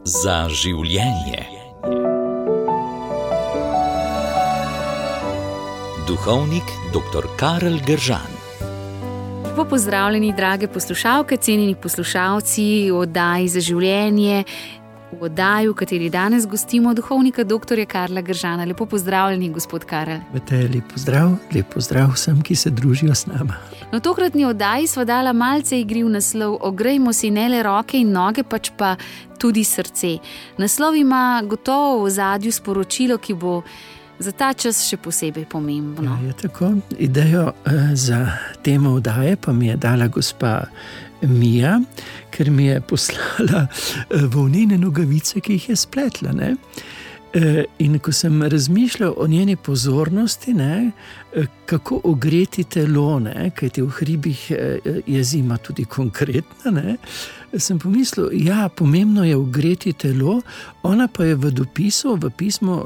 Za življenje. Duhovnik dr. Karel Gržan. Lepo pozdravljeni, drage poslušalke, cenjeni poslušalci v oddaji Za življenje, v oddaji, v kateri danes gostimo duhovnika dr. Karla Gržana. Lepo pozdravljeni, gospod Karel. Lep pozdrav vsem, ki se družijo s nama. Na tokratni oddaji sva dala malce igriv naslov Ogrejmo si ne le roke in noge, pač pa tudi srce. Naslov ima gotovo v ozadju sporočilo, ki bo za ta čas še posebej pomembno. Ja, je tako. Idejo za temo oddaje pa mi je dala gospa Mija, ker mi je poslala volnene nogavice, ki jih je spletla. Ne? In ko sem razmišljal o njeni pozornosti, ne, kako ogreti telo, ne, kajti v hribih je zima tudi konkretna, ne, sem pomislil, ja, pomembno je ogreti telo, ona pa je v pismu,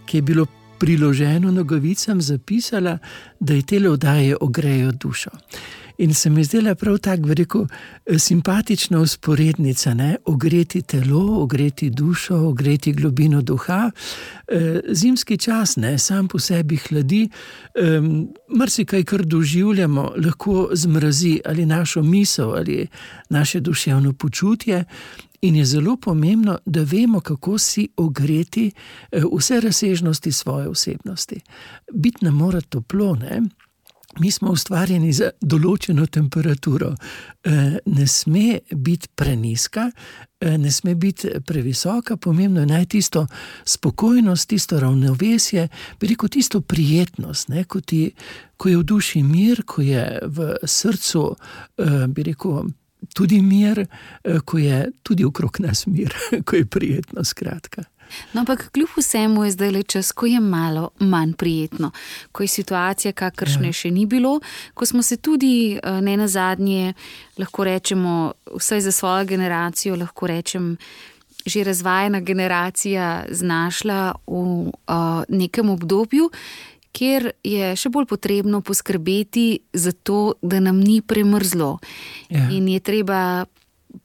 ki je bilo priloženo nogavicam, zapisala, da je tele oddaje ogrejo dušo. In se mi zdela prav tako, simpatična usporednica, ne? Ogreti telo, ogreti dušo, ogreti globino duha. Zimski čas, ne? Sam po sebi hladi, marsikaj, kar doživljamo, lahko zmrazi ali našo misel ali naše duševno počutje. In je zelo pomembno, da vemo, kako si ogreti vse razsežnosti svoje osebnosti. Biti nam mora toplo, ne? Mi smo ustvarjeni za določeno temperaturo. Ne sme biti prenizka, ne sme biti previsoka, pomembno je najti tisto spokojnost, tisto ravnovesje, tisto prijetnost, ne? Ko je v duši mir, ko je v srcu, tudi mir, ko je tudi okrog nas mir, ko je prijetno, skratka. No, ampak kljub vsemu je zdaj le čas, ko je malo manj prijetno, ko je situacija, kakršne še ni bilo, ko smo se tudi ne nazadnje, lahko rečemo, vsaj za svojo generacijo, lahko rečem, že razvajena generacija znašla v nekem obdobju, kjer je še bolj potrebno poskrbeti za to, da nam ni premrzlo. Ja. In je treba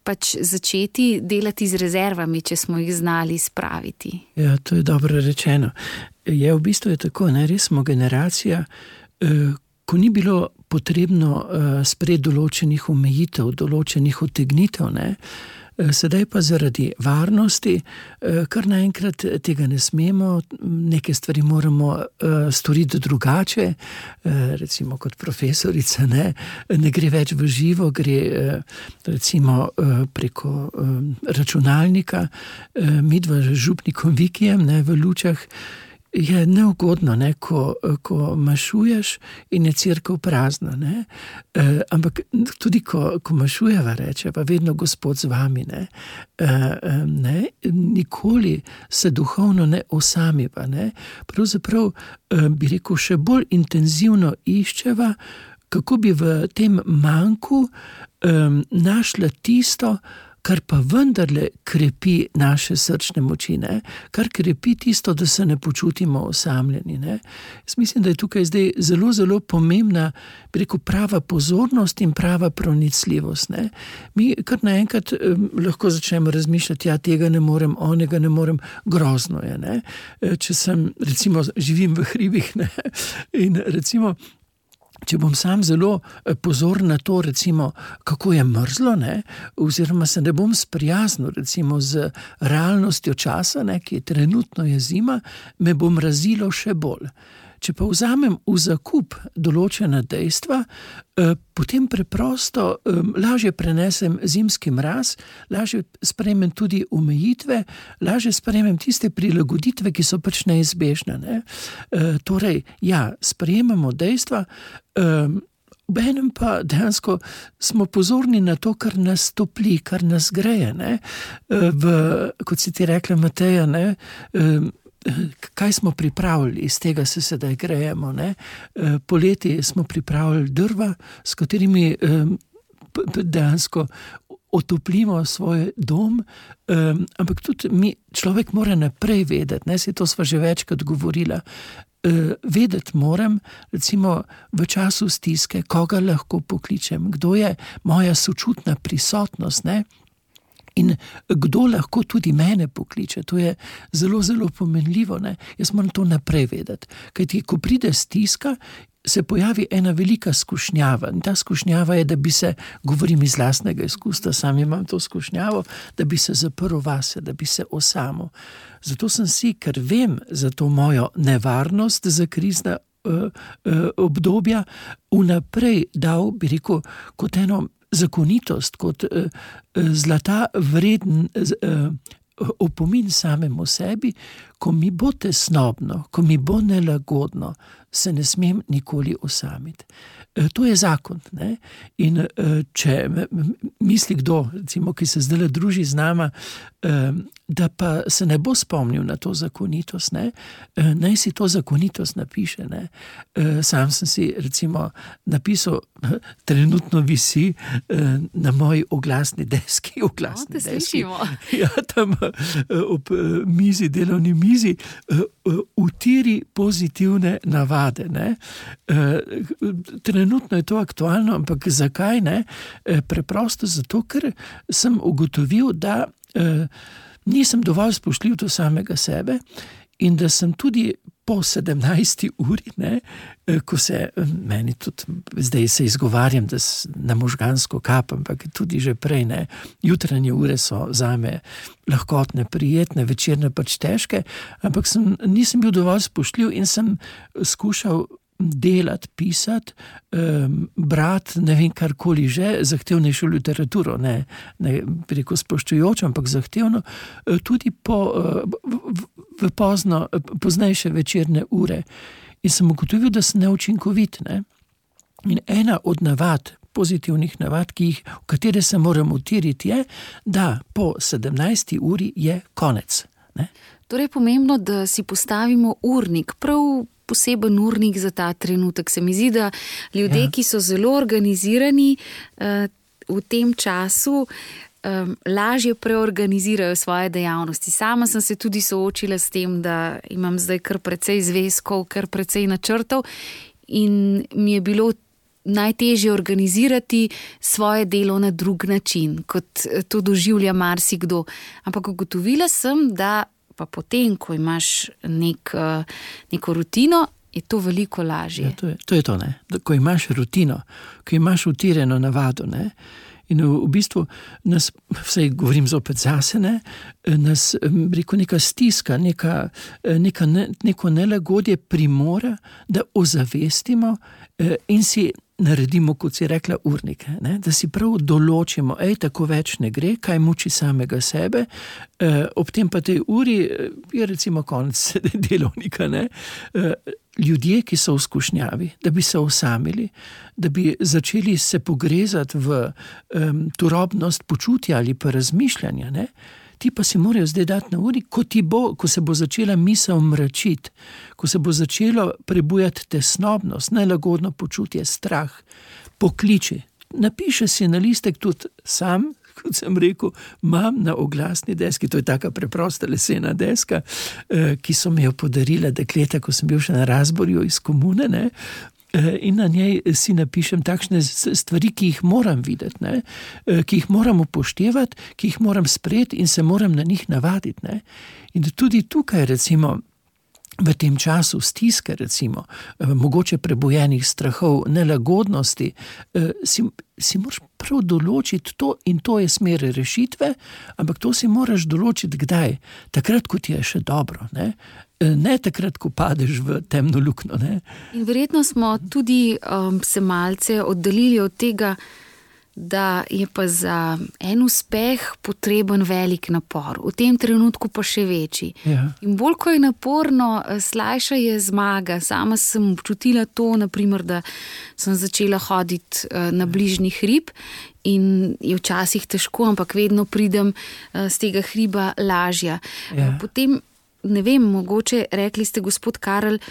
pač začeti delati z rezervami, če smo jih znali spraviti. Ja, to je dobro rečeno. V bistvu je tako, ne, res smo generacija, ko ni bilo potrebno sprejeti določenih omejitev, določenih utegnitev, ne. Sedaj pa zaradi varnosti, kar naenkrat tega ne smemo, neke stvari moramo storiti drugače, recimo kot profesorica, ne gre več v živo, gre recimo preko računalnika, midva z župnikom Vikijem, ne, v Lučah. Je neugodno, ne, ko mašuješ in je cerkev prazna, ne. Ampak tudi ko mašujeva, rečeva, vedno Gospod z vami, ne. Nikoli se duhovno ne osamiva, ne. Pravzaprav bi rekel, še bolj intenzivno iščeva, kako bi v tem manku našla tisto, kar pa vendarle krepi naše srčne moči, ne? Kar krepi tisto, da se ne počutimo osamljeni. Ne? Jaz mislim, da je tukaj zdaj zelo, zelo pomembna, bi rekel, prava pozornost in prava pronicljivost. Ne? Mi kar naenkrat lahko začnemo razmišljati, ja, tega ne morem, onega ne morem, grozno je. Ne? Če sem, recimo, živim v hribih, ne? In recimo, če bom sam zelo pozoren na to, recimo, kako je mrzlo, ne, oziroma se ne bom sprijaznil, recimo, z realnostjo časa, ne, ki je trenutno je zima, me bo mrazilo še bolj. Če pa vzamem v zakup določena dejstva, potem preprosto lažje prenesem zimski mraz, lažje sprejmem tudi omejitve, lažje sprejmem tiste prilagoditve, ki so pač neizbežne. Ne? Torej, ja, sprejemamo dejstva, obenem pa dejansko smo pozorni na to, kar nas topli, kar nas greje. Ne? Kot si ti rekla, Mateja, ne? Kaj smo pripravili, iz tega se sedaj grejemo, ne? Poleti smo pripravili drva, s katerimi dejansko otoplimo svoj dom, ampak tudi človek mora naprej vedeti, ne? Saj to sva že večkrat govorila, vedeti moram, recimo v času stiske, koga lahko pokličem, kdo je moja sočutna prisotnost, ne? In kdo lahko tudi mene pokliče, to je zelo, zelo pomenljivo, ne? Jaz moram to naprej vedeti, kajti ko pride stiska, se pojavi ena velika skušnjava. In ta skušnjava je, da bi se, govorim iz lastnega izkustva, sam imam to skušnjavo, da bi se zaprl vase, da bi se osamil. Zato sem si, ker vem za to mojo nevarnost za krizna obdobja, vnaprej dal, bi rekel, kot eno zakonitost, kot zlata vreden opomin samemu sebi, ko mi bo tesnobno, ko mi bo nelagodno, se ne smem nikoli osamiti. To je zakon, ne? In če misli kdo, recimo, ki se zdaj druži z nama, da pa se ne bo spomnil na to zakonitost, ne? Naj si to zakonitost napiše. Ne? Sam sem si recimo napisal, trenutno visi na moji oglasni deski. Ja, tam ob mizi, delovni mizi, utiri pozitivne navade. Ne? Trenutno je to aktualno, ampak zakaj ne? Preprosto zato, ker sem ugotovil, da nisem dovolj spoštljiv do samega sebe in da sem tudi po 17. uri, ne, ko se meni tudi, zdaj se izgovarjam, da na možgansko kap, ampak tudi že prej, ne, jutranje ure so zame lahkotne, prijetne, večerne pač težke, ampak nisem bil dovolj spoštljiv in sem skušal delati, pisati, brati, ne vem, karkoli že, zahtevnejšo literaturo, ne preko spoštujočo, ampak zahtevno, tudi v poznejše večerne ure. In sem ugotovil, da sem neučinkovit, ne. In ena od navad, pozitivnih navad, v katere se moram utiriti, je, da po 17. uri je konec. Ne. Torej je pomembno, da si postavimo urnik, prav poseben urnik za ta trenutek. Se mi zdi, da ljudje, ki so zelo organizirani v tem času, lažje preorganizirajo svoje dejavnosti. Sama sem se tudi soočila s tem, da imam zdaj kar precej zvezkov, kar precej načrtov in mi je bilo najtežje organizirati svoje delo na drug način, kot to doživlja marsikdo. Ampak ugotovila sem, da pa potem, ko imaš neko rutino, je to veliko lažje. Ja, to je to, ne. Ko imaš rutino, ko imaš utirjeno navado, ne. In v bistvu nas, vsaj govorim zopet zase, ne, nas, rekel, neka stiska, neko nelagodje primora, da ozavestimo in si naredimo, kot si rekla, urnik, ne? Da si prav določimo, tako več ne gre, kaj muči samega sebe, ob tem pa tej uri je recimo konec delovnika, ne? Ljudje, ki so v skušnjavi, da bi se osamili, da bi začeli se pogrezati v turobnost počutja ali pa razmišljanja, ne? Ti pa si morajo zdaj dati na uri, ko se bo začela misel mračiti, ko se bo začelo prebujati tesnobnost, nelagodno počutje, strah, pokliči. Napiše si na listek tudi sam, kot sem rekel, imam na oglasni deski, to je taka preprosta lesena deska, ki so mi jo podarila dekleta, ko sem bil še na Razborju iz komune, ne? In na njej si napišem takšne stvari, ki jih moram videti, ne? Ki jih moram upoštevati, ki jih moram sprejeti in se moram na njih navaditi. Ne? In tudi tukaj recimo v tem času stiske, recimo, mogoče prebojenih strahov, nelagodnosti, si moraš prav določiti to in to je smer rešitve, ampak to si moraš določiti kdaj? Takrat, ko ti je še dobro, ne? Ne takrat, ko padeš v temno luknjo, ne? In verjetno smo tudi se malce oddaljili od tega, da je pa za en uspeh potreben velik napor, v tem trenutku pa še večji. Ja. In bolj, ko je naporno, slajša je zmaga. Sama sem občutila to, naprimer, da sem začela hoditi na bližnji hrib in je včasih težko, ampak vedno pridem z tega hriba lažja. Ja. Potem, ne vem, mogoče rekli ste, gospod Karel,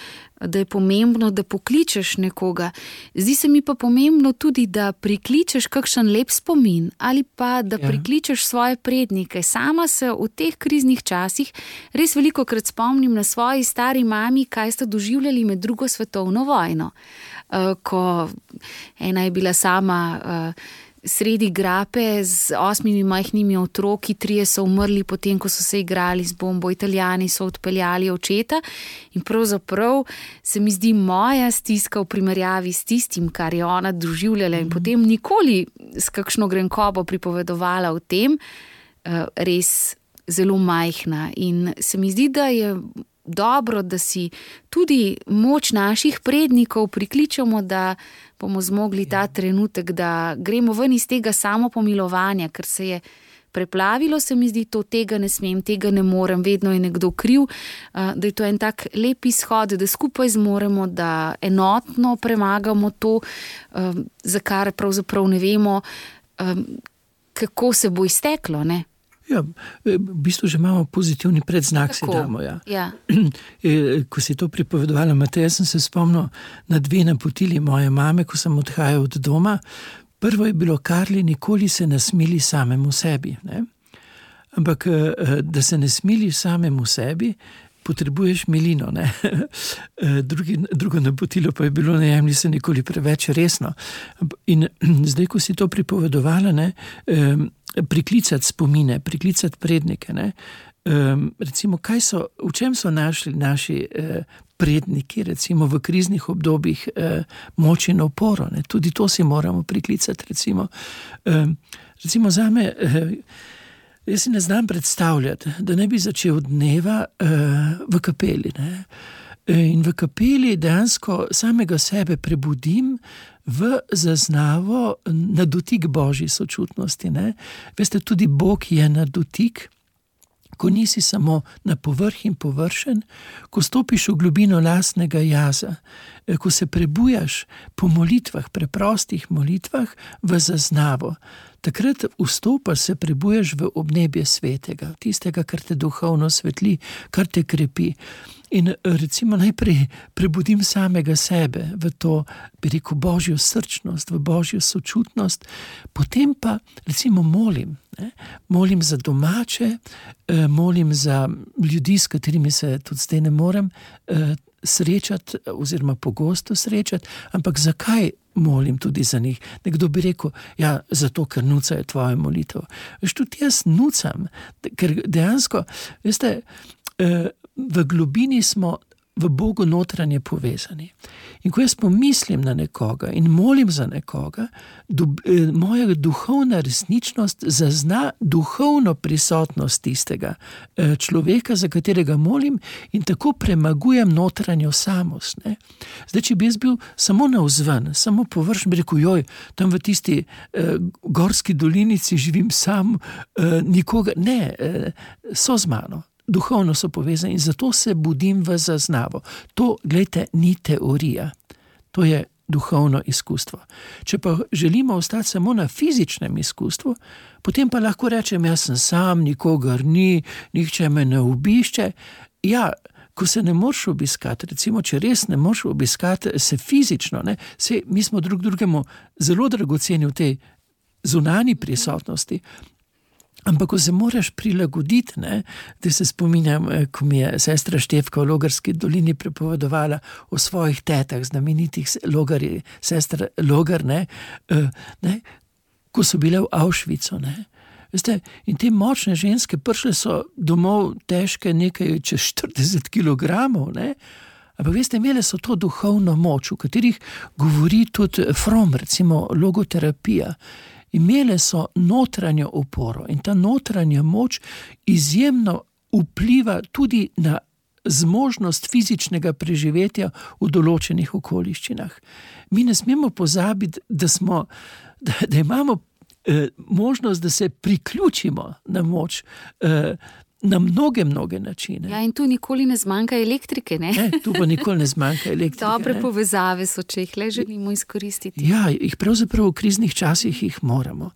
da je pomembno, da pokličeš nekoga. Zdi se mi pa pomembno tudi, da prikličeš kakšen lep spomin ali pa, da prikličeš svoje prednike. Sama se v teh kriznih časih res velikokrat spomnim na svoji stari mami, kaj sta doživljali med drugo svetovno vojno. Ko ena je bila sama sredi grape z 8 majhnimi otroki, 3 so umrli potem, ko so se igrali z bombo, Italijani so odpeljali očeta in pravzaprav se mi zdi moja stiska v primerjavi s tistim, kar je ona doživljala in potem nikoli s kakšno grenkobo pripovedovala o tem, res zelo majhna. In se mi zdi, da je dobro, da si tudi moč naših prednikov prikličemo, da bomo zmogli ta trenutek, da gremo ven iz tega samopomilovanja, ker se je preplavilo, se mi zdi, to tega ne smem, tega ne morem, vedno je nekdo kriv, da je to en tak lep izhod, da skupaj zmoremo, da enotno premagamo to, za kar pravzaprav ne vemo, kako se bo izteklo, ne? Ja, v bistvu že imamo pozitivni predznak, si damo. Ja. Ja. Ko si to pripovedovala, Mateja, sem se spomnil na 2 napotili moje mame, ko sem odhajal od doma. Prvo je bilo: Karli, nikoli se ne smili samemu sebi. Ne? Ampak, da se ne smiliš samemu sebi, potrebuješ milino. Ne? Drugo napotilo pa je bilo: ne jemlji se nikoli preveč resno. In zdaj, ko si to pripovedovala, ne, priklicati spomine, priklicati prednike. Ne? Recimo, v čem so našli naši predniki, recimo v kriznih obdobjih, moč in oporo. Ne? Tudi to si moramo priklicati. Recimo zame, jaz si ne znam predstavljati, da ne bi začel dneva v kapeli. Ne? In v kapeli dejansko samega sebe prebudim v zaznavo na dotik Božji sočutnosti. Ne? Veste, tudi Bog je na dotik, ko nisi samo na povrh in površen, ko stopiš v globino lastnega jaza, ko se prebujaš po molitvah, preprostih molitvah v zaznavo. Takrat vstopaš, se prebujaš v obnebje svetega, tistega, kar te duhovno svetli, kar te krepi. In recimo najprej prebudim samega sebe v to, bi rekel, Božjo srčnost, v Božjo sočutnost, potem pa recimo molim. Ne? Molim za domače, molim za ljudi, s katerimi se tudi zdaj ne morem srečati oziroma pogosto srečati, ampak zakaj molim tudi za njih? Nekdo bi rekel, ja, zato, ker nucajo tvojo molitev. Veš, tudi jaz nucam, ker dejansko, veste, v globini smo v Bogu notranje povezani. In ko jaz pomislim na nekoga in molim za nekoga, moja duhovna resničnost zazna duhovno prisotnost tistega človeka, za katerega molim, in tako premagujem notranjo samost. Ne? Zdaj, če bi jaz bil samo navzven, samo površen, bi rekel, joj, tam v tisti gorski dolinici živim sam, nikoga, ne, so z mano. Duhovno so povezani in zato se budim v zaznavo. To, gledajte, ni teorija. To je duhovno izkustvo. Če pa želimo ostati samo na fizičnem izkustvu, potem pa lahko rečem, jaz sem sam, nikogar ni, nihče me ne obišče. Ja, ko se ne moreš obiskati, recimo, če res ne moreš obiskati se fizično, ne, mi smo drugemu zelo dragoceni v tej zunanji prisotnosti, ampak ko se moraš prilagoditi, ne, da se spominjam, ko mi je sestra Štefka v Logarski dolini prepovedovala o svojih tetah, znamenitih logarji, sestra Logar, ne, ko so bile v Auschwitzu. Ne. Veste, in te močne ženske prišle so domov težke nekaj čez 40 kilogramov, ne. Ampak veste, imele so to duhovno moč, v katerih govori tudi Fromm, recimo logoterapija. Imele so notranjo oporo in ta notranja moč izjemno vpliva tudi na zmožnost fizičnega preživetja v določenih okoliščinah. Mi ne smemo pozabiti, da imamo možnost, da se priključimo na moč, na mnoge načine. Ja, in tu nikoli ne zmanjka elektrike, ne? Ne, tu pa nikoli ne zmanjka elektrike. Dobre povezave so, če jih le želimo izkoristiti. Ja, jih pravzaprav v kriznih časih jih moramo.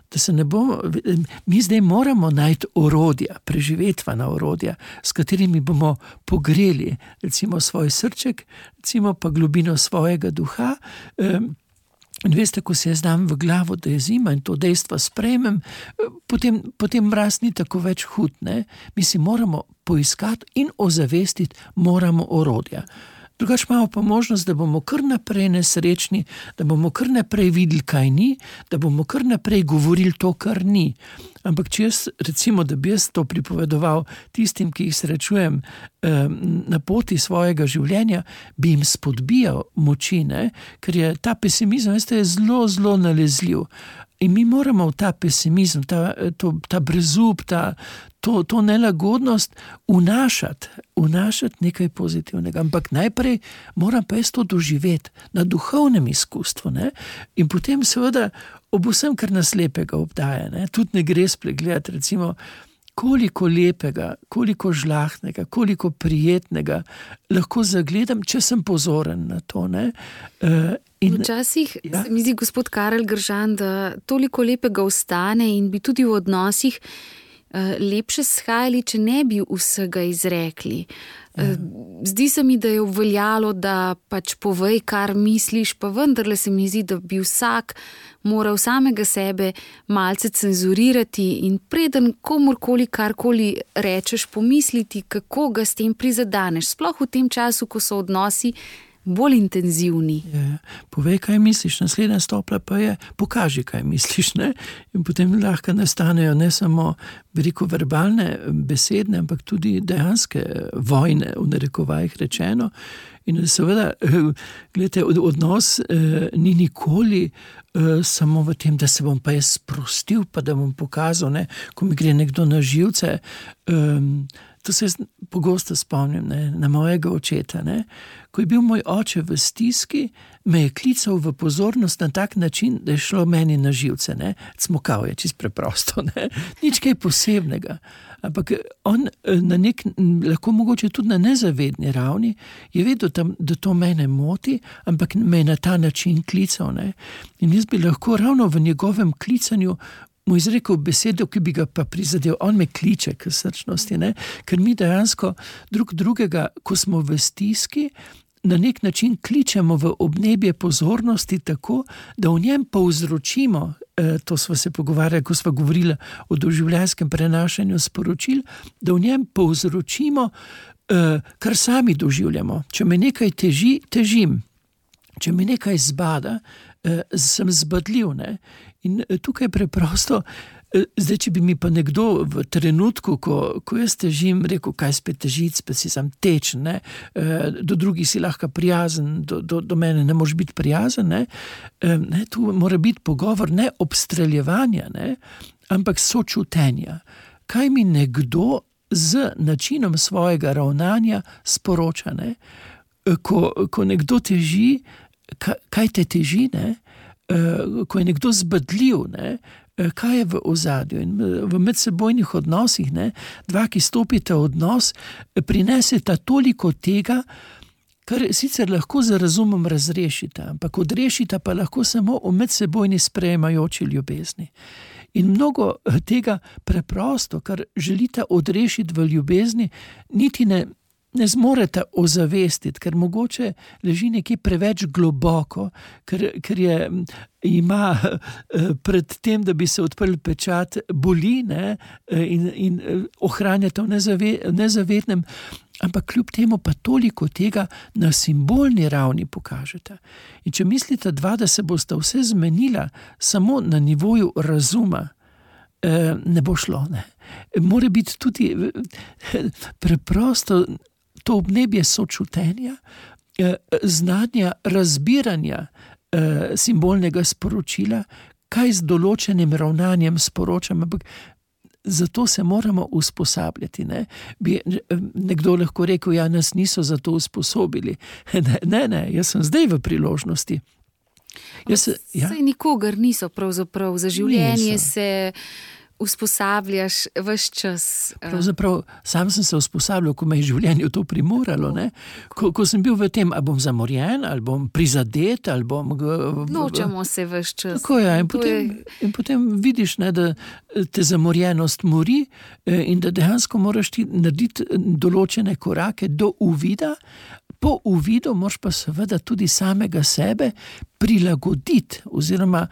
Da se ne bomo, mi zdaj moramo najti orodja, preživetvena orodja, s katerimi bomo pogreli recimo svoj srček, recimo pa globino svojega duha. In veste, ko se jaz dam v glavo, da je zima in to dejstvo sprejmem, potem mraz ni tako več hud. Ne? Mi si moramo poiskati in ozavestiti moramo orodja. Drugače imamo pa možnost, da bomo kar naprej nesrečni, da bomo kar naprej videli, kaj ni, da bomo kar naprej govorili to, kar ni. Ampak če jaz, recimo, da bi jaz to pripovedoval tistim, ki jih srečujem na poti svojega življenja, bi jim spodbijal moči, ne? Ker je ta pesimizem, veste, je zelo, zelo nalezljiv. In mi moramo v ta pesimizem, ta brezup, to nelagodnost vnašati nekaj pozitivnega. Ampak najprej moram pa jaz to doživeti na duhovnem izkustvu. Ne? In potem seveda ob vsem, kar nas lepega obdaja. Ne? Tudi ne gre spregledati, recimo, koliko lepega, koliko žlahtnega, koliko prijetnega lahko zagledam, če sem pozoren na to. Ne? Včasih se mi zdi, gospod Karel Gržan, da toliko lepega ostane in bi tudi v odnosih lepše shajali, če ne bi vsega izrekli. Zdi se mi, da je obveljalo, da pač povej, kar misliš, pa vendarle se mi zdi, da bi vsak moral samega sebe malce cenzurirati in preden komorkoli karkoli rečeš, pomisliti, kako ga s tem prizadaneš. Sploh v tem času, ko so odnosi bolj intenzivni. Povej, kaj misliš, naslednja stopnja pa je, pokaži, kaj misliš. Ne? In potem lahko nastanejo ne samo, bi rekel, verbalne, besedne, ampak tudi dejanske vojne, v narekovajih rečeno. In seveda, gledajte, odnos ni nikoli samo v tem, da se bom pa jaz sprostil, pa da bom pokazal, ne, ko mi gre nekdo na živce. To se jaz pogosto spomnim, ne, na mojega očeta. Ne. Ko je bil moj oče v stiski, me je klical v pozornost na tak način, da je šlo meni na živce. Ne. Cmokal je, čisto preprosto. Ne. Nič kaj posebnega. Ampak on lahko mogoče tudi na nezavedni ravni je vedel, da to mene moti, ampak me je na ta način klical. Ne. In jaz bi lahko ravno v njegovem klicanju mu izrekel besedo, ki bi ga pa prizadel. On me kliče k srčnosti, ne? Ker mi dejansko drugega, ko smo v stiski, na nek način kličemo v obnebje pozornosti tako, da v njem povzročimo, to sva se pogovarjali, ko sva govorila o doživljajskem prenašanju sporočil, da v njem povzročimo, kar sami doživljamo. Če me nekaj teži, težim. Če me nekaj zbada, sem zbadljiv. Ne? In tukaj preprosto, zdaj, če bi mi pa nekdo v trenutku, ko jaz težim, rekel, kaj spet težiti, spet si sam tečen, ne? Do drugih si lahko prijazen, do mene ne moraš biti prijazen. Ne? Tu mora biti pogovor ne obstreljevanja, ne? Ampak sočutenja. Kaj mi nekdo z načinom svojega ravnanja sporoča? Ne? Ko nekdo teži, kaj te teži, ne? Ko je nekdo zbadljiv, ne? Kaj je v ozadju. In v medsebojnih odnosih, ne? Dva, ki stopite v odnos, prineseta toliko tega, kar sicer lahko z razumom razrešita, ampak odrešita pa lahko samo v medsebojni sprejemajoči ljubezni. In mnogo tega preprosto, kar želite odrešiti v ljubezni, niti ne zmorete ozavestiti, ker mogoče leži nekje preveč globoko, ker ima pred tem, da bi se odprl pečat, boli, ne, in ohranjate v nezavednem, ampak kljub temu pa toliko tega na simbolni ravni pokažete. In če mislite dva, da se bosta vse zmenila samo na nivoju razuma, ne bo šlo. Ne. Mora biti tudi preprosto to obnebje sočutenja, znanja, razbiranja simbolnega sporočila, kaj z določenim ravnanjem sporočam, ampak zato se moramo usposabljati. Ne? Bi nekdo lahko rekel, ja, nas niso za to usposobili. Ne, jaz sem zdaj v priložnosti. Saj nikogar niso pravzaprav za življenje niso. Se usposabljaš ves čas. Pravzaprav sam sem se usposabljal, ko me je življenje to primoralo. Ne? Ko sem bil v tem, ali bom zamorjen, ali bom prizadet, ali bom... Nočemo se ves čas. Tako je. In potem vidiš, ne, da te zamorjenost mori in da dejansko moraš ti narediti določene korake do uvida. Po uvidu moraš pa seveda tudi samega sebe prilagoditi oziroma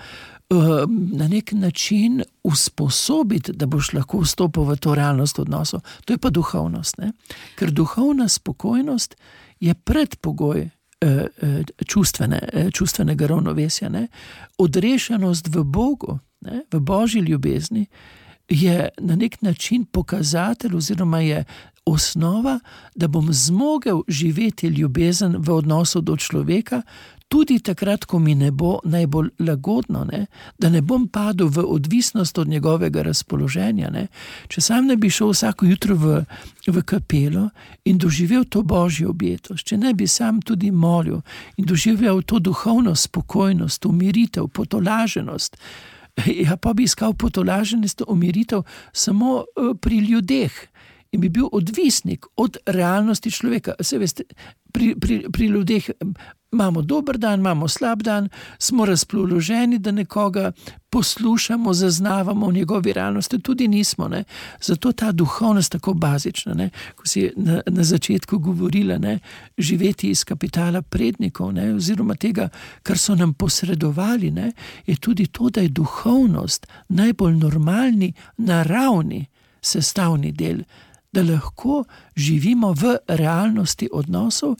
na nek način usposobiti, da boš lahko vstopil v to realnost odnosov. To je pa duhovnost, ne? Ker duhovna spokojnost je predpogoj čustvenega ravnovesja, ne? Odrešenost v Bogu, ne? V Božji ljubezni je na nek način pokazatelj oziroma je osnova, da bom zmogel živeti ljubezen v odnosu do človeka, tudi takrat, ko mi ne bo najbolj lagodno, ne? Da ne bom padel v odvisnost od njegovega razpoloženja. Ne? Če sam ne bi šel vsako jutro v kapelo in doživel to Božjo objetost, če ne bi sam tudi molil in doživel to duhovno spokojnost, umiritev, potolaženost, ja, pa bi iskal potolaženost, umiritev samo pri ljudeh in bi bil odvisnik od realnosti človeka. Se veste, pri ljudeh imamo dober dan, imamo slab dan, smo razpoloženi, da nekoga poslušamo, zaznavamo v njegovi realnosti, tudi nismo. Ne? Zato ta duhovnost tako bazična, ne? Ko si na začetku govorila, ne? Živeti iz kapitala prednikov, ne? Oziroma tega, kar so nam posredovali, ne? Je tudi to, da je duhovnost najbolj normalni, naravni sestavni del, da lahko živimo v realnosti odnosov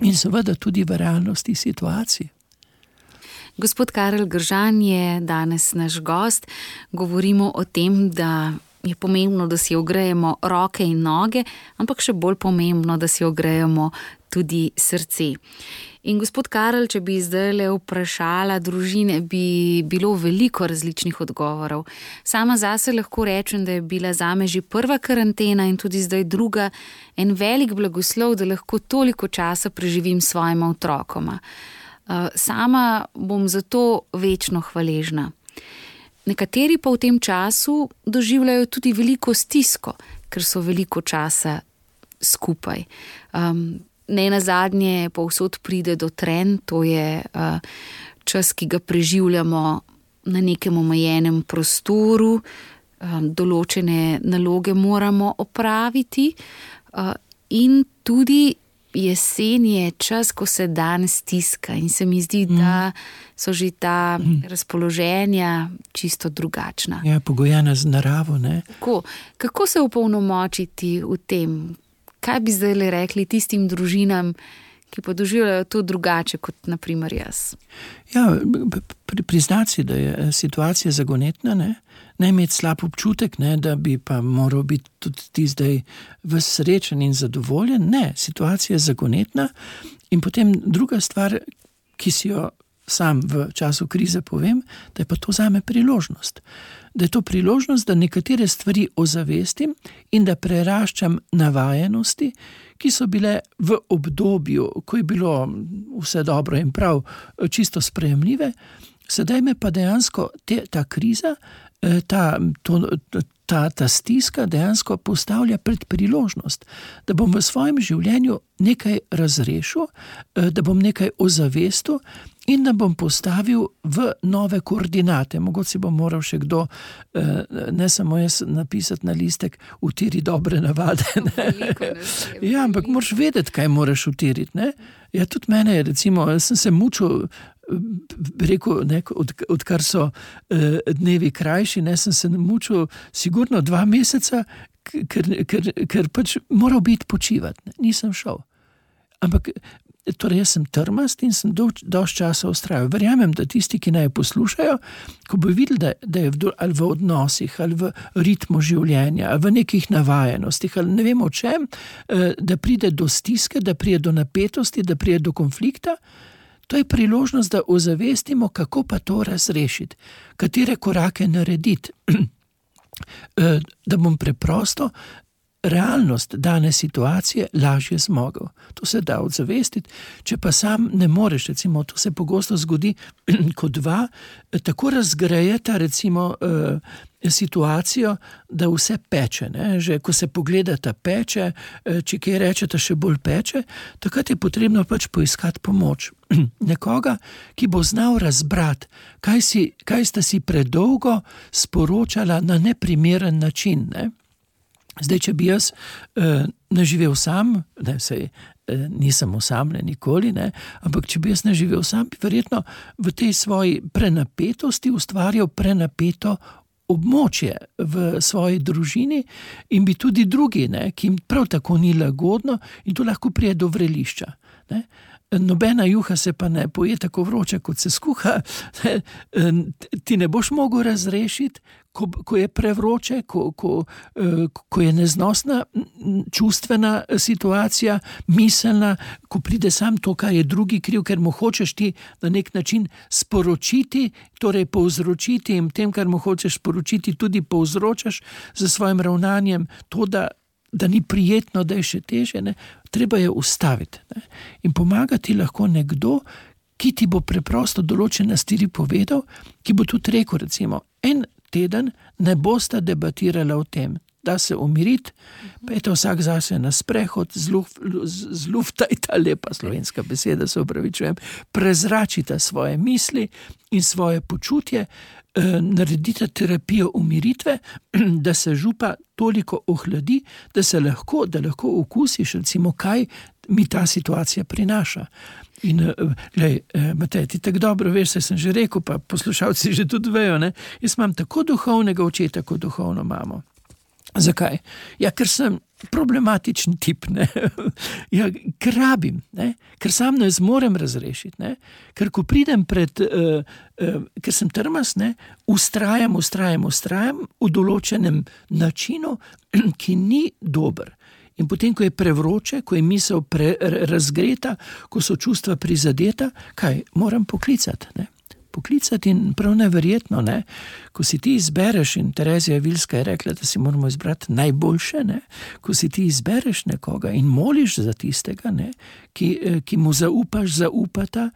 in seveda tudi v realnosti situacij. Gospod Karel Gržan je danes naš gost. Govorimo o tem, da je pomembno, da si ogrejemo roke in noge, ampak še bolj pomembno, da si ogrejemo tudi srce. In gospod Karel, če bi zdaj vprašala družine, bi bilo veliko različnih odgovorov. Sama zase lahko rečem, da je bila zame že prva karantena in tudi zdaj druga en velik blagoslov, da lahko toliko časa preživim s svojima otrokoma. Sama bom zato večno hvaležna. Nekateri pa v tem času doživljajo tudi veliko stisko, ker so veliko časa skupaj. Nenazadnje povsod pride do trenj, to je čas, ki ga preživljamo na nekem omejenem prostoru, določene naloge moramo opraviti in tudi jesen je čas, ko se dan stiska in se mi zdi, da so že ta razpoloženja čisto drugačna. Ja, pogojena z naravo, ne? Kako se opolnomočiti v tem? Kaj bi zdaj rekli tistim družinam, ki pa doživljajo to drugače kot naprimer jaz? Ja, priznati si, da je situacija zagonetna, ne? Ne imeti slab občutek, ne, da bi pa moral biti tudi ti zdaj srečen in zadovoljen. Ne, situacija je zagonetna in potem druga stvar, ki si jo sam v času krize povem, da je pa to zame priložnost. Da je to priložnost, da nekatere stvari ozavestim in da preraščam navajenosti, ki so bile v obdobju, ko je bilo vse dobro in prav čisto sprejemljive. Sedaj me pa dejansko ta kriza, ta stiska dejansko postavlja pred priložnost, da bom v svojem življenju nekaj razrešil, da bom nekaj ozavestil in da bom postavil v nove koordinate. Mogoče si bom moral še kdo, ne samo jaz napisati na listek, utiri dobre navade. Ja, ampak moraš vedeti, kaj moraš utiriti, ne? Ja, tudi mene, recimo, sem se mučil, rekel, odkar so dnevi krajši, ne, sem se mučil sigurno 2 meseca, ker pač moral biti počivati, nisem šel. Ampak torej jaz sem trmast in sem dosti časa vztrajal. Verjamem, da tisti, ki naj poslušajo, ko bo videli, da je ali v odnosih, ali v ritmu življenja, ali v nekih navajenostih, ali ne vem o čem, da pride do stiske, da pride do napetosti, da pride do konflikta, to je priložnost, da ozavestimo, kako pa to razrešiti, katere korake narediti, da bom preprosto realnost dane situacije lažje zmogel. To se da odzavestiti, če pa sam ne moreš, recimo, to se pogosto zgodi, ko dva tako razgrejeta, recimo, situacijo, da vse peče, ne? Že ko se pogledata peče, če kaj rečeta še bolj peče, takrat je potrebno pač poiskati pomoč. Nekoga, ki bo znal razbrati, kaj sta si predolgo sporočala na neprimeren način, ne? Zdaj, če bi jaz naživel sam, nisem osamljen nikoli, ampak če bi jaz naživel sam, bi verjetno v tej svoji prenapetosti ustvarjal prenapeto območje v svoji družini in bi tudi drugi, ki jim prav tako ni lagodno in to lahko prije do vrelišča. Nobena juha se pa ne poje tako vroča, kot se skuha. Ti ne boš mogel razrešiti, ko je prevroče, ko je neznosna čustvena situacija, miselna, ko pride sam to, kar je drugi kriv, ker mu hočeš ti na nek način sporočiti, torej povzročiti in tem, kar mu hočeš sporočiti, tudi povzročaš za svojim ravnanjem to, da ni prijetno, da je še teže, treba je ustaviti. In pomagati lahko nekdo, ki ti bo preprosto določene stvari povedal, ki bo tudi rekel, recimo, en teden ne bosta debatirala o tem, da se umiriti, pejte vsak zase na sprehod, zluftajta, lepa slovenska beseda, se opravičujem, prezračita svoje misli in svoje počutje, naredite terapijo umiritve, da se župa toliko ohladi, da lahko okusiš, recimo, kaj mi ta situacija prinaša. In, Matej, ti tako dobro veš, saj sem že rekel, pa poslušalci že tudi vejo, jaz imam tako duhovnega očeta, kot duhovno mamo. Zakaj? Ja, ker sem problematičen tip, Ja, ker rabim, ker sam ne zmorem razrešiti, ker ko pridem ker sem trmas, ustrajam v določenem načinu, ki ni dober. In potem, ko je prevroče, ko je misel razgreta, ko so čustva prizadeta, kaj? Moram poklicati, Poklicati in prav neverjetno, ko si ti izbereš, in Terezija Vilska je rekla, da si moramo izbrati najboljše, ko si ti izbereš nekoga in moliš za tistega, ki mu zaupata,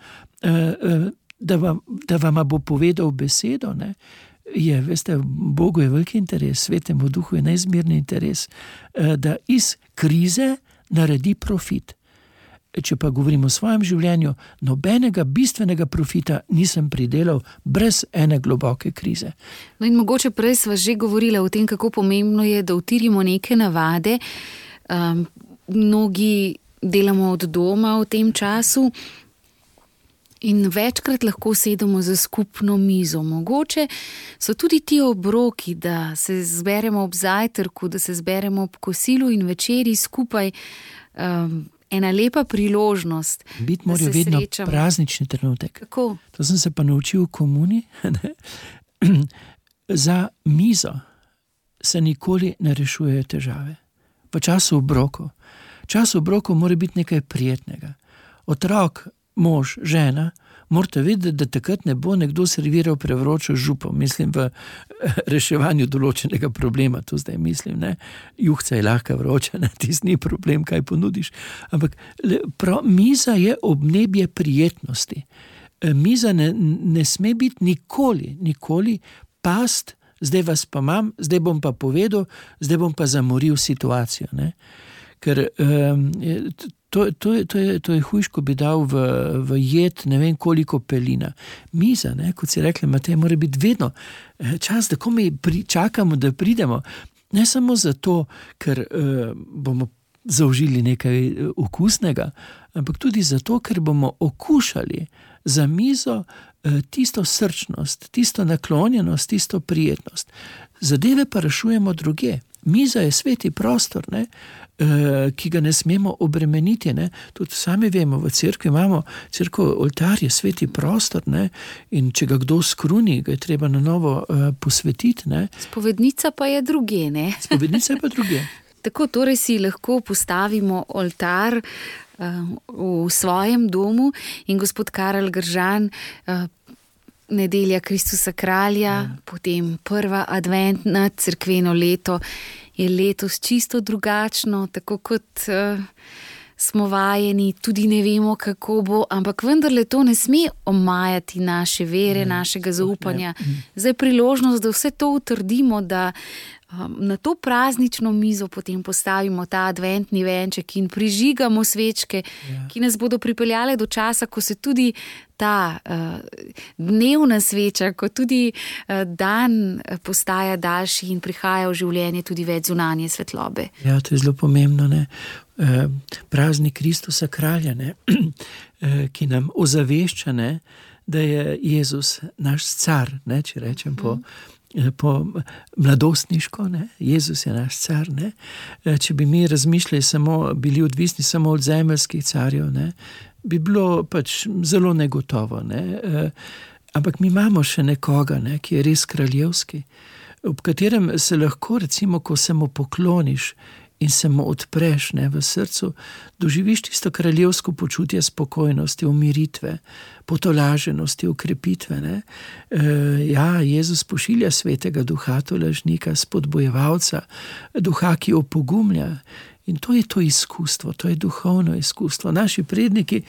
da vama bo povedal besedo, veste, Bogu je veliki interes, Svetemu Duhu je neizmerni interes, da iz krize naredi profit. Če pa govorim o svojem življenju, nobenega bistvenega profita nisem pridelal brez ene globoke krize. No in mogoče prej sva že govorila o tem, kako pomembno je, da utirimo neke navade. Mnogi delamo od doma v tem času in večkrat lahko sedemo za skupno mizo. Mogoče so tudi ti obroki, da se zberemo ob zajtrku, da se zberemo ob kosilu in večeri skupaj, ena lepa priložnost. Biti mora vedno praznični trenutek. Kako? To sem se pa naučil v komuni. Za mizo se nikoli ne rešujejo težave. V času obrokov. Čas obrokov mora biti nekaj prijetnega. Otrok, mož, žena, morate vedeti, da takrat ne bo nekdo serviral prevročo župo, mislim v reševanju določenega problema, to zdaj mislim, juhca je lahka vroča, tisti ni problem, kaj ponudiš, ampak miza je obnebje prijetnosti. Miza ne sme biti nikoli past, zdaj vas pa imam, zdaj bom pa povedal, zdaj bom pa zamoril situacijo, ker to je hujš, ko bi dal v jed ne vem koliko pelina. Miza, kot si rekla, Matej, mora biti vedno čas, da ko mi čakamo, da pridemo. Ne samo zato, ker bomo zaužili nekaj okusnega, ampak tudi zato, ker bomo okušali za mizo tisto srčnost, tisto naklonjenost, tisto prijetnost. Zadeve pa rešujemo druge. Miza je sveti prostor, ki ga ne smemo obremeniti. Tudi sami vemo, v cerkvi imamo, oltar je sveti prostor, in če ga kdo skruni, ga je treba na novo posvetiti. Spovednica pa je druge, Spovednica je pa druge. Tako torej si lahko postavimo oltar v svojem domu in gospod Karel Gržan, nedelja Kristusa kralja, potem prva adventna cerkveno leto je letos čisto drugačno, tako kot smo vajeni, tudi ne vemo, kako bo, ampak vendarle to ne sme omajati naše vere, našega zaupanja. Zdaj priložnost, da vse to utrdimo, da Na to praznično mizo potem postavimo ta adventni venček in prižigamo svečke, ki nas bodo pripeljale do časa, ko se tudi ta dnevna sveča, ko tudi dan postaja daljši in prihaja v življenje tudi več zunanje svetlobe. Ja, to je zelo pomembno, ne? Praznik Kristusa kralja, ne? Ki nam ozavešča, ne? Da je Jezus naš car, ne? Če rečem po mladostniško, ne? Jezus je naš car, ne? Če bi mi razmišljali bili odvisni samo od zemeljskih carjev, ne? Bi bilo pač zelo negotovo, ne? Ampak mi imamo še nekoga, ne? Ki je res kraljevski, ob katerem se lahko, recimo, ko se mu pokloniš in se mu odpreš, ne, v srcu, doživiš tisto kraljevsko počutje spokojnosti, umiritve, potolaženosti, ukrepitve. Ne. Ja, Jezus pošilja svetega duha, tolažnika, spodbojevalca, duha, ki opogumlja. In to je to izkustvo, to je duhovno izkustvo. Naši predniki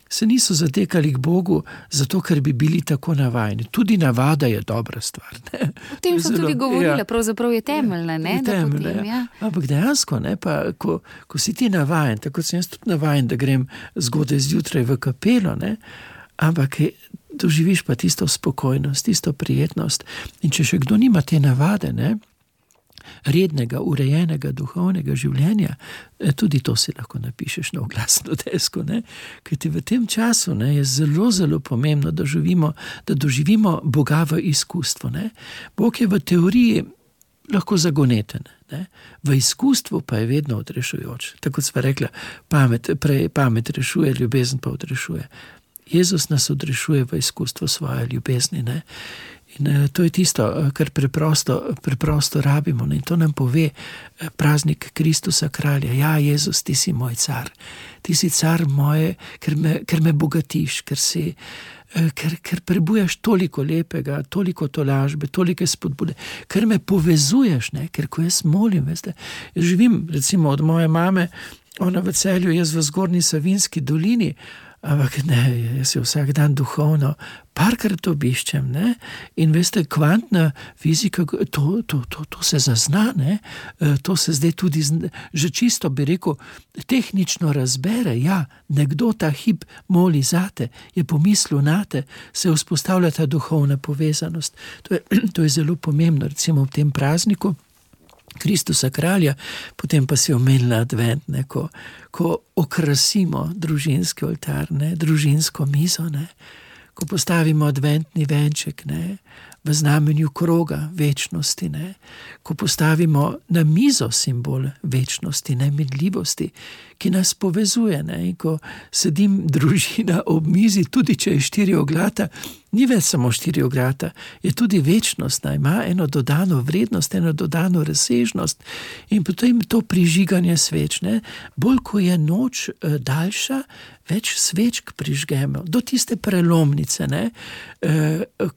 se niso zatekali k Bogu zato, ker bi bili tako navajeni. Tudi navada je dobra stvar. Ne? O tem so tudi govorila, pravzaprav je temeljna. Ne? Temeljna, potem, ja. Ampak dejansko, ne, pa, ko si ti navajen, tako sem jaz tudi navajen, da grem zgodaj zjutraj v kapelo, ne, ampak doživiš pa tisto spokojnost, tisto prijetnost. In če še kdo nima te navade, ne, rednega, urejenega, duhovnega življenja, tudi to si lahko napišeš na oglasno desko, ne? Kajti v tem času, ne, je zelo, zelo pomembno, da doživimo Boga v izkustvo. Ne? Bog je v teoriji lahko zagoneten, ne? V izkustvu pa je vedno odrešujoč. Tako kot sva rekla, pamet rešuje, ljubezen pa odrešuje. Jezus nas odrešuje v izkustvo svoje ljubezni, ne? In to je tisto, kar preprosto rabimo. In to nam pove praznik Kristusa kralja. Ja, Jezus, ti si moj car. Ti si car moje, ker me bogatiš, ker prebujaš toliko lepega, toliko tolažbe, toliko spodbude, ker me povezuješ, ne? Ker ko jaz molim, veste, jaz živim recimo od moje mame, ona v Celju, jaz v Zgornji Savinjski dolini, ampak ne, jaz jo vsak dan duhovno parkrat obiščem, ne? In veste, kvantna fizika, to se zazna, ne? To se zdaj tudi že čisto, bi rekel, tehnično razbere. Ja, nekdo ta hip moli zate, je pomislil nate, se vzpostavlja ta duhovna povezanost. To je zelo pomembno, recimo v tem prazniku Kristusa kralja, potem pa si omenila advent, ne, ko okrasimo družinski oltar, ne, družinsko mizo, ne, ko postavimo adventni venček, ne, v znamenju kroga večnosti, ne, ko postavimo na mizo simbol večnosti, neminljivosti, ki nas povezuje, ne, in ko sedim družina ob mizi, tudi če je štirioglata, ni več samo štirioglata, je tudi večnost, ima eno dodano vrednost, eno dodano razsežnost in potem to prižiganje sveč, ne, bolj ko je noč daljša, več svečk prižgemo, do tiste prelomnice, ne,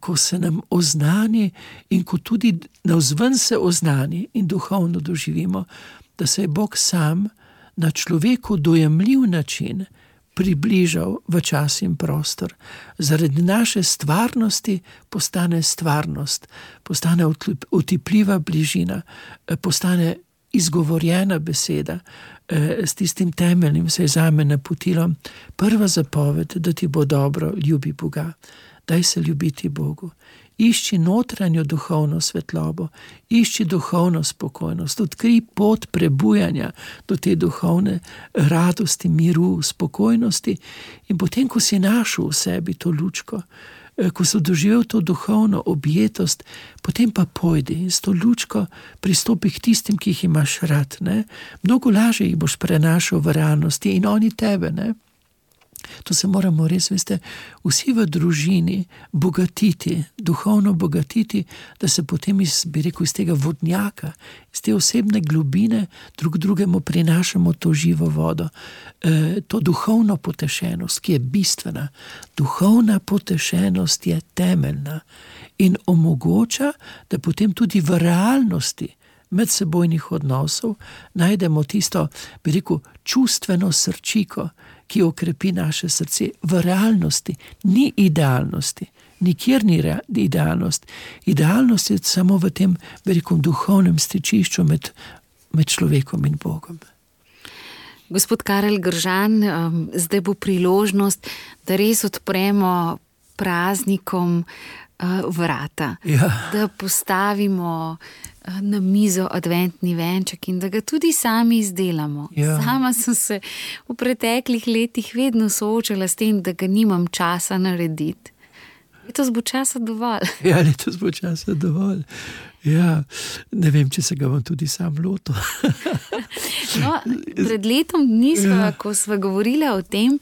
ko se nam oznani in ko tudi navzven se oznani in duhovno doživimo, da se je Bog sam na človeku dojemljiv način približal v čas in prostor. Zaradi naše stvarnosti postane stvarnost, postane otipljiva bližina, postane izgovorjena beseda s tistim temeljnim, se je zame napotilo. Prva zapoved, da ti bo dobro, ljubi Boga. Daj se ljubiti Bogu. Išči notranjo duhovno svetlobo, išči duhovno spokojnost, odkrij pot prebujanja do te duhovne radosti, miru, spokojnosti in potem, ko si našel v sebi to lučko, ko si doživel to duhovno objetost, potem pa pojdi in s to lučko pristopi k tistim, ki jih imaš rad, ne? Mnogo lažje jih boš prenašal v realnosti in oni tebe, ne? To se moramo res, veste, vsi v družini bogatiti, duhovno bogatiti, da se potem iz tega vodnjaka, iz te osebne globine drugemu prinašamo to živo vodo, to duhovno potešenost, ki je bistvena. Duhovna potešenost je temeljna in omogoča, da potem tudi v realnosti medsebojnih odnosov najdemo tisto, čustveno srčiko, ki okrepi naše srce. V realnosti ni idealnosti, nikjer ni idealnost. Idealnost je samo v tem velikom duhovnem stičišču med človekom in Bogom. Gospod Karel Gržan, zdaj bo priložnost, da res odpremo praznikom vrata, da postavimo na mizo adventni venček in da ga tudi sami izdelamo. Sama sem se v preteklih letih vedno soočala s tem, da ga nimam časa narediti. Letos bo časa dovolj. Letos bo časa dovolj. Ne vem, če se ga bom tudi sam lotil. Pred letom dni ko sva govorila o tem,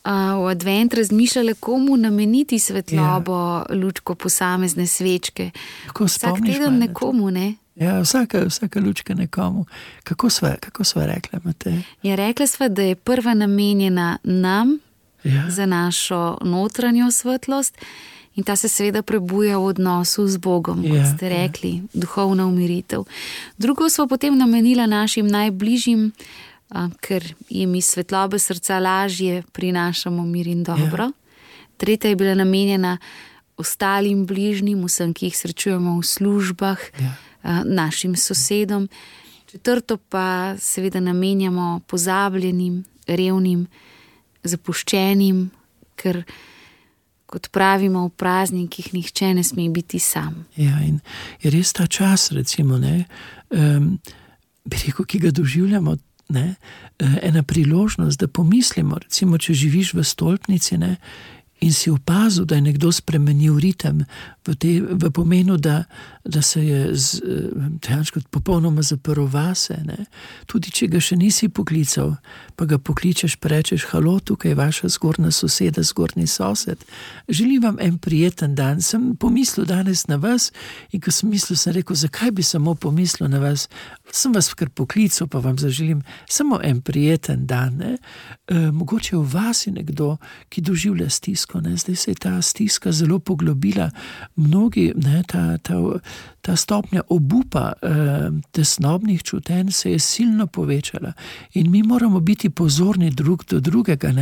v advent razmišljala, komu nameniti svetlobo, lučko posamezne svečke. Vsak teden nekomu, ne? Vsaka lučka nekomu. Kako sva rekla, Matej? Rekla sva, da je prva namenjena nam, za našo notranjo svetlost, in ta se seveda prebuja v odnosu z Bogom, kot ste rekli, duhovna umiritev. Drugo smo potem namenila našim najbližjim, ker jim iz svetlobe srca lažje prinašamo mir in dobro. Tretja je bila namenjena ostalim bližnjim, vsem, ki jih srečujemo v službah, našim sosedom. Četrto pa seveda namenjamo pozabljenim, revnim, zapuščenim, ker kot pravimo v praznikih, nihče ne sme biti sam. In je res ta čas, recimo, bi rekel, ki ga doživljamo, ena priložnost, da pomislimo, recimo, če živiš v stolpnici, in si opazil, da je nekdo spremenil ritem v pomenu, da se je dejansko popolnoma zaprl vase. Tudi če ga še nisi poklical, pa ga pokličeš, pa rečeš, halo, tukaj je vaša zgornja soseda, zgornji sosed. Želim vam en prijeten dan. Sem pomislil danes na vas in ko sem mislil, sem rekel, zakaj bi samo pomislil na vas? Sem vas kar poklical, pa vam zaželim samo en prijeten dan. Mogoče v vas je nekdo, ki doživlja stisko. Zdaj se je ta stiska zelo poglobila. Mnogi, ta stopnja obupa tesnobnih čutenj se je silno povečala in mi moramo biti pozorni drug do drugega.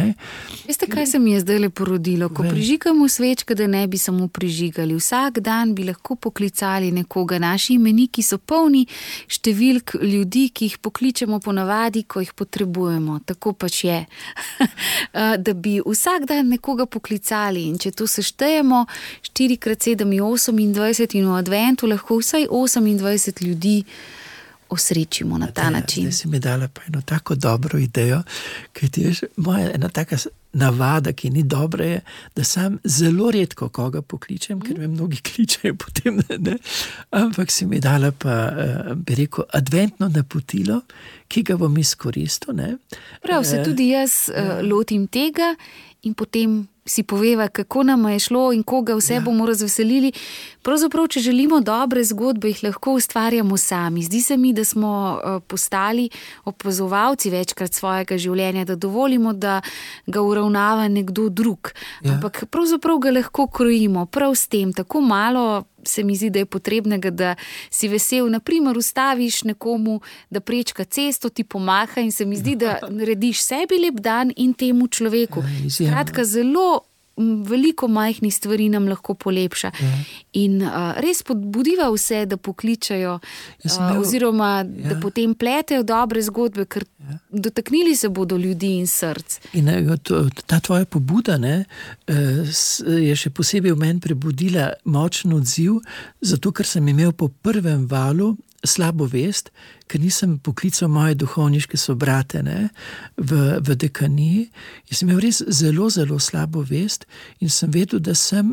Veste, kaj se mi je zdaj le porodilo? Ko prižigamo svečke, da ne bi samo prižigali. Vsak dan bi lahko poklicali nekoga. Naši imeniki so polni številk ljudi, ki jih pokličemo ponavadi, ko jih potrebujemo. Tako pač je. Da bi vsak dan nekoga poklicali in če to seštejemo 4x7 je 28 in v adventu lahko vsaj 28 ljudi osrečimo na ta način. Zdaj si mi dala pa eno tako dobro idejo, kajti moja ena taka navada, ki ni dobra, je, da sam zelo redko koga pokličem, ker me mnogi kličejo potem, ampak si mi dala pa, bi rekel, adventno napotilo, ki ga bom izkoristil. Prav, se tudi jaz lotim tega in potem si poveva, kako nam je šlo in koga vse bomo razveselili. Pravzaprav, če želimo dobre zgodbe, jih lahko ustvarjamo sami. Zdi se mi, da smo postali opazovalci večkrat svojega življenja, da dovolimo, da ga uravnava nekdo drug. Ampak pravzaprav ga lahko krojimo prav s tem. Tako malo se mi zdi, da je potrebnega, da si vesel. Naprimer, ustaviš nekomu, da prečka cesto, ti pomaha in se mi zdi, da narediš sebi lep dan in temu človeku. Skratka, zelo veliko majhnih stvari nam lahko polepša. In res podbudiva vse, da pokličajo oziroma da potem pletejo dobre zgodbe, ker dotaknili se bodo ljudi in src. In ta tvoja pobuda je še posebej v meni prebudila močen odziv, zato ker sem imel po prvem valu slabo vest, ker nisem poklical moje duhovniške sobrate v dekaniji. Jaz sem imel res zelo, zelo slabo vest in sem vedel, da sem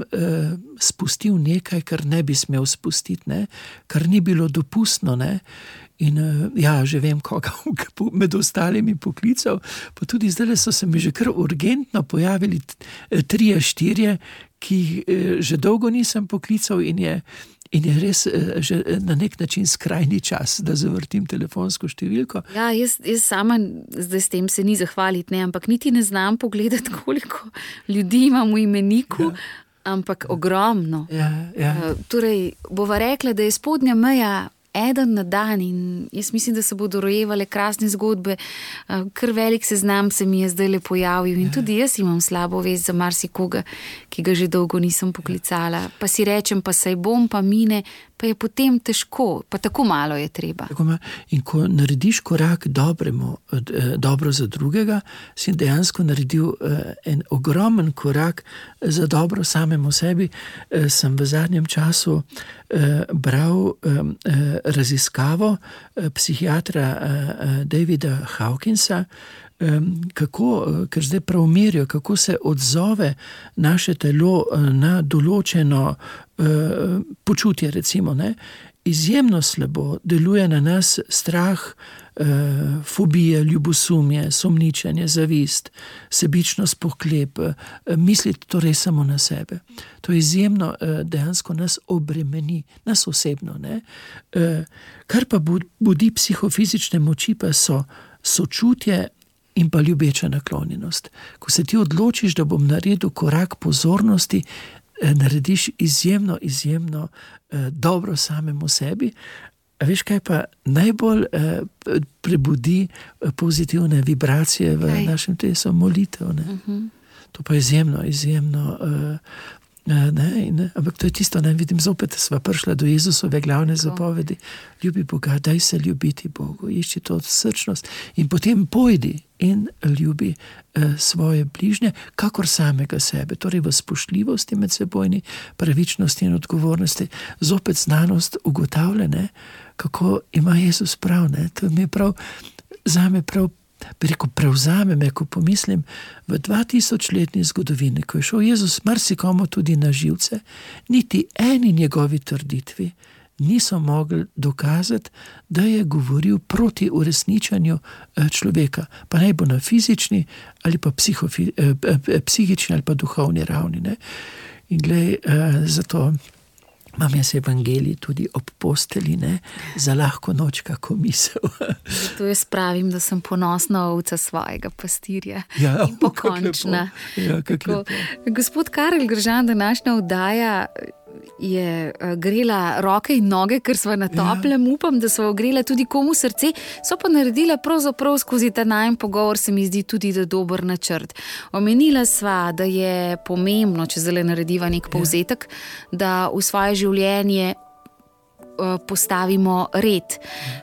spustil nekaj, kar ne bi smel spustiti, kar ni bilo dopustno. In že vem, koga med ostalimi poklical, pa tudi zdaj so se mi že kar urgentno pojavili 3-4, ki že dolgo nisem poklical in je res že na nek način skrajni čas, da zavrtim telefonsko številko. Jaz sama zdaj s tem se ni zahvaliti, ampak niti ne znam pogledati, koliko ljudi imam v imeniku, ampak ogromno. Torej, bova rekla, da je spodnja meja eden na dan in jaz mislim, da se bodo rojevale krasne zgodbe. Kar velik seznam se mi je zdaj le pojavil in tudi jaz imam slabo vest za marsikoga, ki ga že dolgo nisem poklicala. Pa si rečem, pa saj bom, pa mine, pa je potem težko, pa tako malo je treba. In ko narediš korak dobro za drugega, si dejansko naredil en ogromen korak za dobro samemu sebi. Sem v zadnjem času bral raziskavo psihiatra Davida Hawkinsa, ker zdaj prav merijo, kako se odzove naše telo na določeno počutje, recimo, ne. Izjemno slabo deluje na nas strah, fobije, ljubosumje, sumničenje, zavist, sebičnost, pohlep, misliti torej samo na sebe. To izjemno dejansko nas obremeni, nas osebno, ne. Kar pa budi psihofizične moči, pa so sočutje in pa ljubeča naklonjenost. Ko se ti odločiš, da bom naredil korak pozornosti, narediš izjemno dobro samemu sebi. A veš, kaj pa najbolj prebudi pozitivne vibracije v našem telesu? Molitev, ne? To pa izjemno ampak to je tisto, ne vidim, zopet sva prišla do Jezusove glavne zapovedi. Ljubi Boga, daj se ljubiti Bogu, išči to srčnost in potem pojdi in ljubi svoje bližnje, kakor samega sebe, torej v spoštljivosti medsebojni, pravičnosti in odgovornosti. Zopet znanost ugotavlja, ne, kako ima Jezus prav, ne. To mi je prav, zame prav, bi rekel, prevzame me, ko pomislim v 2000-letni zgodovini, ko je šel Jezus marsikomu tudi na živce, niti eni njegovi trditvi niso mogli dokazati, da je govoril proti uresničenju človeka, pa naj bo na fizični ali pa psihični ali pa duhovni ravni, ne. In glej, zato imam jaz evangelij tudi ob posteli, ne, za lahko noč kako misel. Zato jaz pravim, da sem ponosna ovca svojega pastirja. Ja, in pokončna. Ja, Gospod Karel Gržan, današnja oddaja je grela roke in noge, ker sva na toplem, upam, da sva ogrela tudi komu srce, so pa naredila pravzaprav skozi ta najin pogovor, se mi zdi tudi da dober načrt. Omenila sva, da je pomembno, če zdaj narediva nek povzetek, da v svoje življenje postavimo red.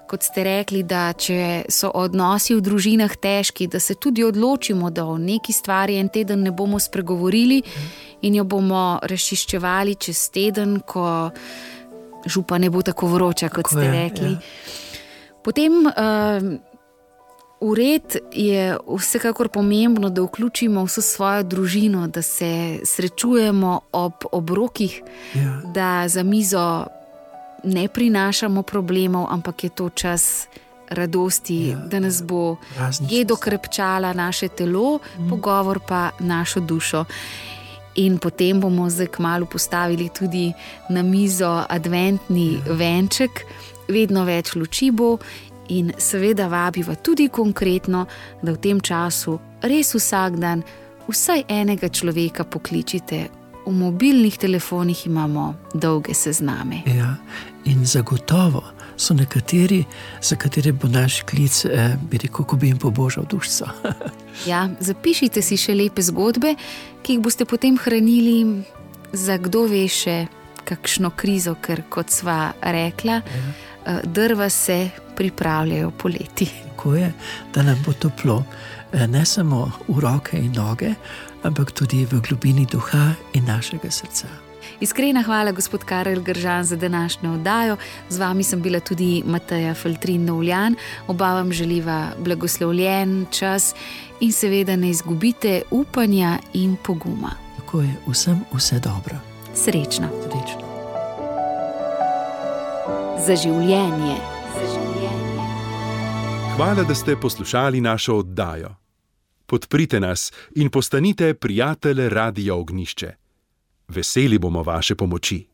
Kot ste rekli, da če so odnosi v družinah težki, da se tudi odločimo, da o neki stvari en teden ne bomo spregovorili in jo bomo razčiščevali čez teden, ko župa ne bo tako vroča, kot ste rekli. Potem v red je vsekakor pomembno, da vključimo vso svojo družino, da se srečujemo ob obrokih, da za mizo ne prinašamo problemov, ampak je to čas radosti, da nas bo jedo krepčala naše telo, pogovor pa našo dušo. In potem bomo zdaj kmalu postavili tudi na mizo adventni venček, vedno več luči bo in seveda vabiva tudi konkretno, da v tem času res vsak dan vsaj enega človeka pokličite. V mobilnih telefonih imamo dolge sezname. Ja, in zagotovo so nekateri, za katere bo naš klic, bi rekel, ko bi jim pobožal dušico. Ja, zapišite si še lepe zgodbe, ki jih boste potem hranili za kdo ve še kakšno krizo, ker kot sva rekla, drva se pripravljajo poleti. Tako je, da nam bo toplo, ne samo v roke in noge, ampak tudi v globini duha in našega srca. Iskrena hvala, gospod Karel Gržan, za današnjo oddajo. Z vami sem bila tudi Mateja Feltrin-Novljan. Oba vam želiva blagoslovljen čas in seveda ne izgubite upanja in poguma. Tako je, vsem vse dobro. Srečno. Srečno. Za življenje. Hvala, da ste poslušali našo oddajo. Podprite nas in postanite prijatelj Radia Ognjišče. Veseli bomo vaše pomoči.